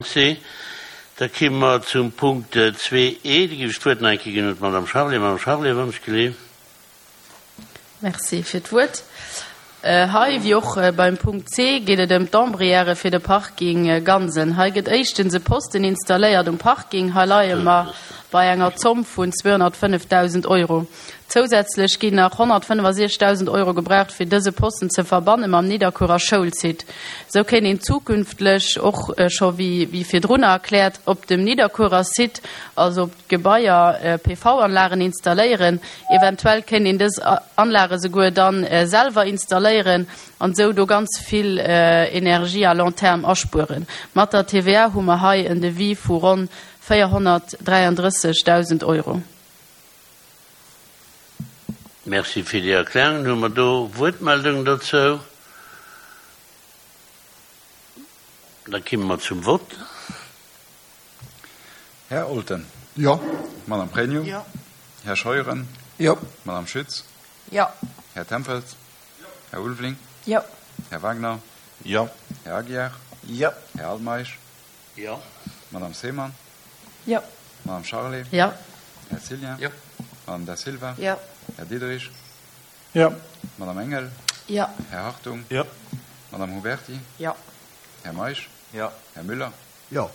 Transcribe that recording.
C. Da kimme mer zum Punkt 2E. Da géif ech d'Wuert nach eng Kéier ginn un d'Madame Charlé. Madame Charlé, wann ech geleef. Merci fir d'Wuert. Hei, wéi och beim Punkt C, geet et ëm d'Ombrièrë fir de Parking Gansen. Hei gëtt éischtens e Posten installéiert um Parking. Hei leie mer bei enger Zomm vun 205.000 Euro. Zousätzlech ginn nach 165.000 Euro gebraucht, fir dëse Posten ze verbanne mam Nidderkuerer Schoulsite. Esou kéint een zukünftlech, och scho wéi virdrunner erkläert, op dem Nidderkuerer Site, also op d'Gebaier, PV-Anlagen installéieren. Eventuell kéint een dës Anlage souguer dann selwer installéieren an esou do ganz vill Energie à long terme aspueren. Mat der TVA hu mer hei en Devis vu ronn 433.000 Euro. Merci fir déi Erklärungen. Hu mer do Wuertmeldungen dozou? Da kimme mer zum Vott. Här Olten. Jo. Madame Pregno. Jo. Här Scheuren. Jo. Madame Schütz. Jo. Här Tempels. Jo. Här Ulveling. Jo. Här Wagner. Jo. Här Aguiar. Jo. Här Altmeisch. Jo. Madame Seemann. Jo. Madame Charlé. Jo. Här Cillien. Jo. Madame Da Silva. Jo. Här Diderich. Jo. Madame Engel. Jo. Här Hartung. Jo. Madame Huberti. Jo. Här Meisch. Jo. Här Müller. Jo.